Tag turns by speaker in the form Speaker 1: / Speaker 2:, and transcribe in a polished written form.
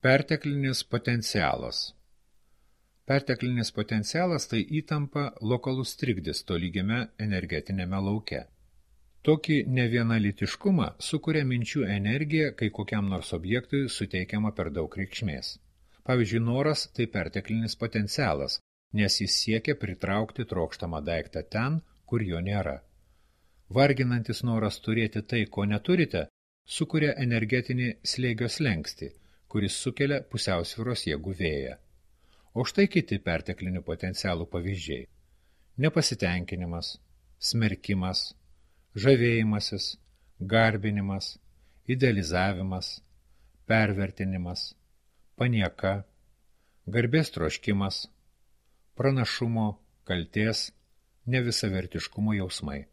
Speaker 1: Perteklinis potencialas. Perteklinis potencialas tai įtampa, lokalus trikdis tolygiame energetinėme lauke. Tokį nevienalitiškumą sukuria minčių energija, kai kokiam nors objektui suteikiama per daug reikšmės. Pavyzdžiui, noras tai perteklinis potencialas, nes jis siekia pritraukti trokštamą daiktą ten, kur jo nėra. Varginantis noras turėti tai, ko neturite, sukuria energetinį slėgio slenkstį, kuris sukelia pusiausvyros jėgų vėją. O štai kiti perteklinių potencialų pavyzdžiai. Nepasitenkinimas, smerkimas, žavėjimasis, garbinimas, idealizavimas, pervertinimas, panieka, garbės troškimas, pranašumo, kaltės, nevisavertiškumo jausmai.